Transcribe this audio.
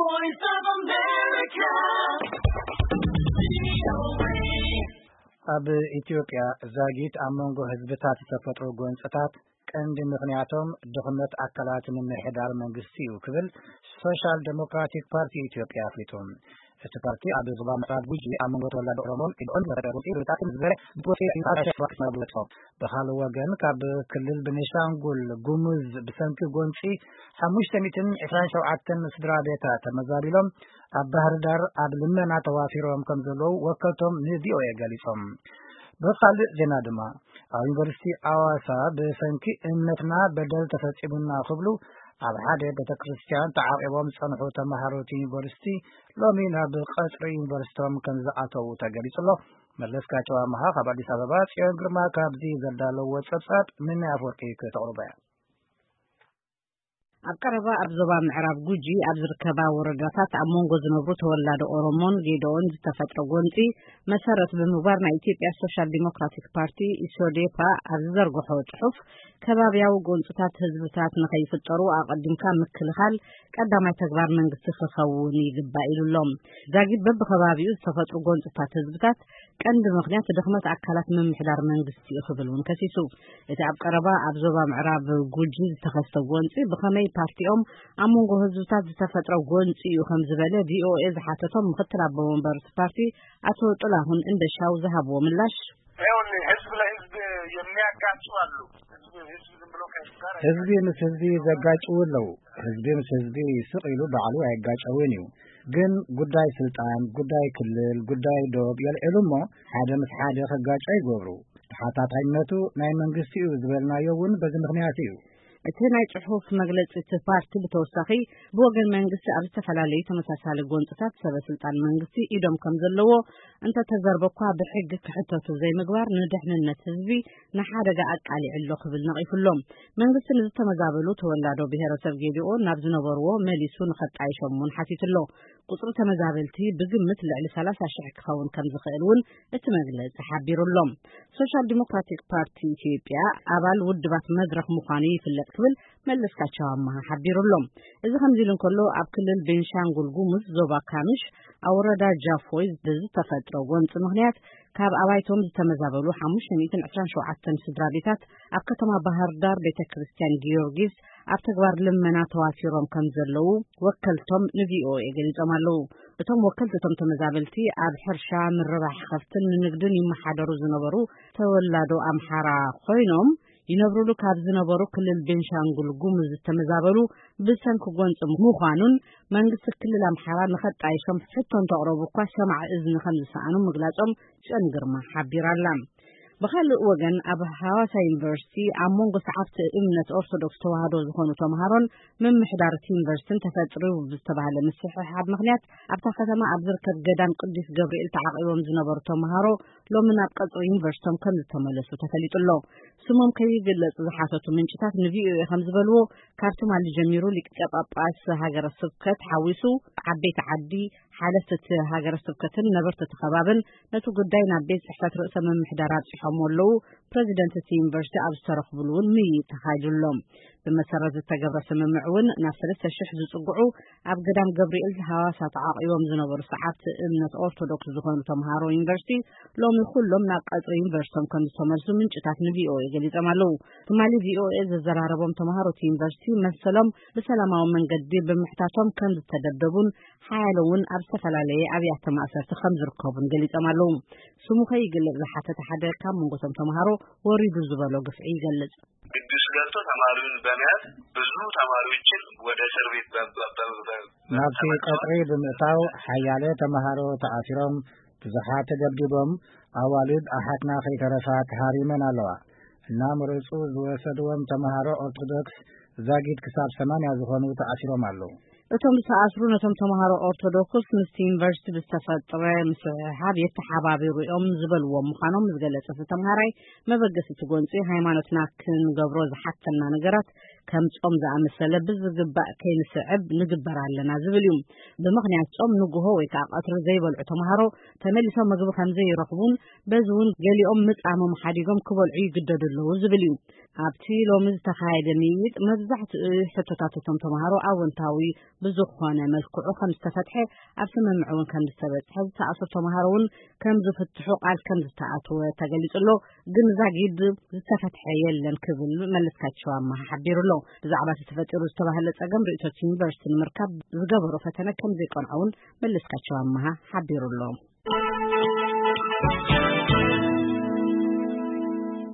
Voice of America. ኣብ ኢትዮጵያ ዛጊት ኣብ መንጎ ህዝብታት ዝተፈጥሩ ጎንፅታት ቀንዲ ምኽንያቶም ድኽመት ኣካላት ምምሕዳር መንግስቲ እዩ ክብል ሶሻል ዴሞክራቲክ ፓርቲ ኢትዮጵያ ኣፍሊጡ። እቲ ፓርቲ ኣብ ዞባ ምዕራብ ጉጂ ኣብ መንጎ ተወላዶ ኦሮሞን ኢዶን ዝተፈጠረ ጎንፂ ብጣዕሚ ዝበረ ብትወስኦ እዩ ኣብ ሸዋ ክስማቡ ገጾም። ብኻልእ ወገን ካብ ክልል ቤኒሻንጉል ጉሙዝ ብሰንኪ ጎንፂ ሓሙሽተ ሚእትን ዕስራን ሸውዓተን ስድራ ቤታት ተመዛቢሎም ኣብ ባህር ዳር ኣብ ልመና ተዋፊሮም ከም ዘለዉ ወከልቶም ንቪኦኤ ገሊጾም። ብኻልእ ዜና ድማ ኣብ ዩኒቨርሲቲ ኣዋሳ ብሰንኪ እምነትና በደል ተፈጺሙና ክብሉ ኣብ ሓደ ቤተ ክርስቲያን ተዓቂቦም ዝጸንሑ ተማሃሮ እቲ ዩኒቨርሲቲ ሎሚ ናብ ቀጽሪ ዩኒቨርሲቶም ከም ዝኣተዉ ተገሊጹ ኣሎ። መለስካቸው ኣመሃ ካብ ኣዲስ ኣበባ፣ ጽዮን ግርማ ካብዚ ዘዳለዎ ጸብጻብ ንናይ ኣፈወርቂ ከተቕርቦ እያ። ኣብ ቀረባ ኣብ ዞባ ምዕራብ ጉጂ ኣብ ዝርከባ ወረዳታት ኣብ መንጎ ዝነብሩ ተወላዶ ኦሮሞን ጌዶኦን ዝተፈጥረ ጎንፂ መሰረት ብምግባር ናይ ኢትዮጵያ ሶሻል ዲሞክራቲክ ፓርቲ ኢሶዴፓ ኣብ ዝዘርግሖ ጽሑፍ ከባብያዊ ጎንፅታት ህዝብታት ንኸይፍጠሩ ኣቐዲምካ ምክልኻል ቀዳማይ ተግባር መንግስቲ ክኸውን ይግባእ ኢሉ ኣሎ። ዛጊት በብከባቢኡ ዝተፈጥሩ ጎንፅታት ህዝብታት ቀንዲ ምኽንያት ድኽመት ኣካላት ምምሕዳር መንግስቲ እዩ ክብል እውን ከሲሱ። እቲ ኣብ ቀረባ ኣብ ዞባ ምዕራብ ጉጂ ዝተኸስተ ጎንፂ ብኸመይ ፓርቲኦም ኣብ መንጎ ህዝብታት ዝተፈጥረ ጎንፂ እዩ ከም ዝበለ ቪኦኤ ዝሓተቶም ምክትል ኣቦ ወንበር እቲ ፓርቲ ኣቶ ጥላሁን እንደሻው ዝሃብዎ ምላሽ፣ ይኸውልህ፣ ህዝብ ለህዝብ የሚያጋጩ አሉ። ህዝብ ህዝብ ዝም ብሎ ከህዝብ ጋር ህዝቢ ምስ ህዝቢ ዘጋጭው ኣለዉ። ህዝቢ ምስ ህዝቢ ስቕ ኢሉ ባዕሉ ኣይጋጨውን እዩ። ግን ጉዳይ ስልጣን፣ ጉዳይ ክልል፣ ጉዳይ ዶብ የልዕሉ እሞ ሓደ ምስ ሓደ ክጋጮ ይገብሩ። ተሓታታይነቱ ናይ መንግስቲ እዩ ዝበልናዮ እውን በዚ ምኽንያት እዩ። እቲ ናይ ጽሑፍ መግለጺ እቲ ፓርቲ ብተወሳኺ ብወገን መንግስቲ ኣብ ዝተፈላለዩ ተመሳሳሊ ጎንፅታት ሰበ ስልጣን መንግስቲ ኢዶም ከም ዘለዎ እንተተዘርበ እኳ ብሕጊ ክሕተቱ ዘይምግባር ንድሕንነት ህዝቢ ንሓደጋ ኣቃሊዑ ኣሎ ክብል ነቒፉ ኣሎ። መንግስቲ ንዝተመዛበሉ ተወላዶ ብሄረሰብ ጌዲኦ ናብ ዝነበርዎ መሊሱ ንኸጣይሾም እውን ሓቲቱ ኣሎ። ቁጽሪ ተመዛበልቲ ብግምት ልዕሊ ሰላሳ ሽሕ ክኸውን ከም ዝኽእል እውን እቲ መግለጺ ሓቢሩ ኣሎ። ሶሻል ዲሞክራቲክ ፓርቲ ኢትዮጵያ ኣባል ውድባት መድረኽ ምዃኑ ይፍለጥ ክብል መለስካቸው ኣመሃ ሓቢሩ ኣሎ። እዚ ከምዚ ኢሉ እንከሎ ኣብ ክልል ቤንሻንጉል ጉሙዝ ዞባ ካምሽ ኣብ ወረዳ ጃፎይ ብዝተፈጥረ ጎንፂ ምኽንያት ካብ ኣባይቶም ዝተመዛበሉ ሓሙሽተ ሚእትን ዕስራን ሸውዓተን ስድራ ቤታት ኣብ ከተማ ባህር ዳር ቤተ ክርስቲያን ጊዮርጊስ ኣብ ተግባር ልመና ተዋፊሮም ከም ዘለዉ ወከልቶም ንቪኦኤ ገሊጾም ኣለዉ። እቶም ወከልቲ እቶም ተመዛበልቲ ኣብ ሕርሻ፣ ምርባሕ ከፍትን ንንግድን ይመሓደሩ ዝነበሩ ተወላዶ ኣምሓራ ኮይኖም ይነብሩሉ ካብ ዝነበሩ ክልል ቤንሻንጉል ጉሙዝ ዝተመዛበሉ ብሰንኪ ጎንፂ ምዃኑን መንግስቲ ክልል ኣምሓራ ንኸጣይሾም ሕቶ እንተቕረቡ እኳ ሰማዒ እዝኒ ከም ዝሰኣኑ ምግላጾም ጽዮን ግርማ ሓቢራ ኣላ። ብኻልእ ወገን ኣብ ሃዋሳ ዩኒቨርሲቲ ኣብ መንጎ ሰዓብቲ እምነት ኦርቶዶክስ ተዋህዶ ዝኾኑ ተምሃሮን ምምሕዳር እቲ ዩኒቨርሲቲን ተፈጥሩ ብዝተባህለ ምስሕሓብ ምኽንያት ኣብታ ከተማ ኣብ ዝርከብ ገዳም ቅዱስ ገብርኤል ተዓቒቦም ዝነበሩ ተምሃሮ ሎሚ ናብ ቀጽሪ ዩኒቨርሲቶም ከም ዝተመለሱ ተፈሊጡ ኣሎ። ስሞም ከይግለጽ ዝሓተቱ ምንጭታት ንቪኦኤ ከም ዝበልዎ ካብ ትማሊ ጀሚሩ ሊቀ ጳጳስ ሃገረ ስብከት ሓዊሱ ዓበይቲ ዓዲ ሓለፍቲ እቲ ሃገረ ስብከትን ነበርቲ እቲ ከባብን ነቲ ጉዳይ ናብ ቤት ጽሕፈት ርእሰ ምምሕዳር ኣብጺሖም ኣለዉ። ፕረዚደንት እቲ ዩኒቨርሲቲ ኣብ ዝተረኽብሉ እውን ምይይጥ ተኻይዱ ኣሎ። ብመሰረት ዝተገብረ ስምምዕ እውን ናብ ሰለስተ ሽሕ ዝጽግዑ ኣብ ገዳም ገብርኤል ሃዋሳ ተዓቒቦም ዝነበሩ ሰዓብቲ እምነት ኦርቶዶክስ ዝኾኑ ተምሃሮ ዩኒቨርሲቲ ሎሚ ኩሎም ናብ ቀጽሪ ዩኒቨርሲቶም ከም ዝተመልሱ ምንጭታት ንቪኦኤ ገሊጾም ኣለዉ። ትማሊ ቪኦኤ ዘዘራረቦም ተምሃሮ እቲ ዩኒቨርሲቲ መሰሎም ብሰላማዊ መንገዲ ብምሕታቶም ከም ዝተደብደቡን ሓያለ እውን ኣብ ዝተፈላለየ ኣብያተ ማእሰርቲ ከም ዝርከቡን ገሊጾም ኣለዉ። ስሙ ከይግለጽ ዝሓተተ ሓደ ካብ መንጎቶም ተምሃሮ ወሪዱ ዝበሎ ግፍዒ ይገልጽ። ግቢ ውስጥ ገብቶ ተማሪውን በመያዝ ብዙ ተማሪዎችን ወደ እስር ቤት በ-፣ በ-፣ በ-፣ በ-፣ ናብቲ ተመልሰዋል። ቀጽሪ ብምእታው ሓያለ ተምሃሮ ተኣሲሮም፣ ብዙሓት ተደብዲቦም፣ ኣዋልድ ኣሓትና ከይተረፋ ተሃሪመን ኣለዋ። እና ምርጹ ዝወሰድዎም ተምሃሮ ኦርቶዶክስ ዛጊድ ክሳብ ሰማንያ ዝኾኑ ተኣሲሮም ኣለዉ። እቶም ዝተኣስሩ ነቶም ተምሃሮ ኦርቶዶክስ ምስቲ ዩኒቨርሲቲ ብዝተፈጥረ ምስሕሓብ የተሓባቢሩ እዮም ዝበልዎም ምዃኖም ዝገለጸ እቲ ተምሃራይ፣ መበገሲ እቲ ጎንፂ ሃይማኖትና ክንገብሮ ዝሓተና ነገራት ከም ጾም ዝኣመሰለ ብዝግባእ ከይንስዕብ ንግበር ኣለና ዝብል እዩ። ብምኽንያት ጾም ንግሆ ወይ ከዓ ቀትሪ ዘይበልዑ ተምሃሮ ተመሊሶም ምግቢ ከም ዘይረኽቡን በዚ እውን ገሊኦም ምጻሞም ሓዲጎም ክበልዑ ይግደዱ ኣለዉ ዝብል እዩ። ኣብቲ ሎሚ ዝተኻየደ ምይይጥ መብዛሕትኡ ሕቶታት እቶም ተምሃሮ ኣወንታዊ ብዝኾነ መልክዑ ከም ዝተፈትሐ፣ ኣብ ስምምዕ እውን ከም ዝተበጽሐ፣ ዝተኣስሩ ተምሃሮ እውን ከም ዝፍትሑ ቃል ከም ዝተኣትወ ተገሊጹ ኣሎ። ግን ዛጊድ ዝተፈትሐ የለን ክብል መለስካቸው ኣማሃ ሓቢሩ ኣሎ። ብዛዕባ እቲ ተፈጢሩ ዝተባህለ ጸገም ርእይቶት ዩኒቨርሲቲ ንምርካብ ዝገበሮ ፈተነ ከም ዘይቀንዖ እውን መለስካቸው ኣማሃ ሓቢሩ ኣሎ።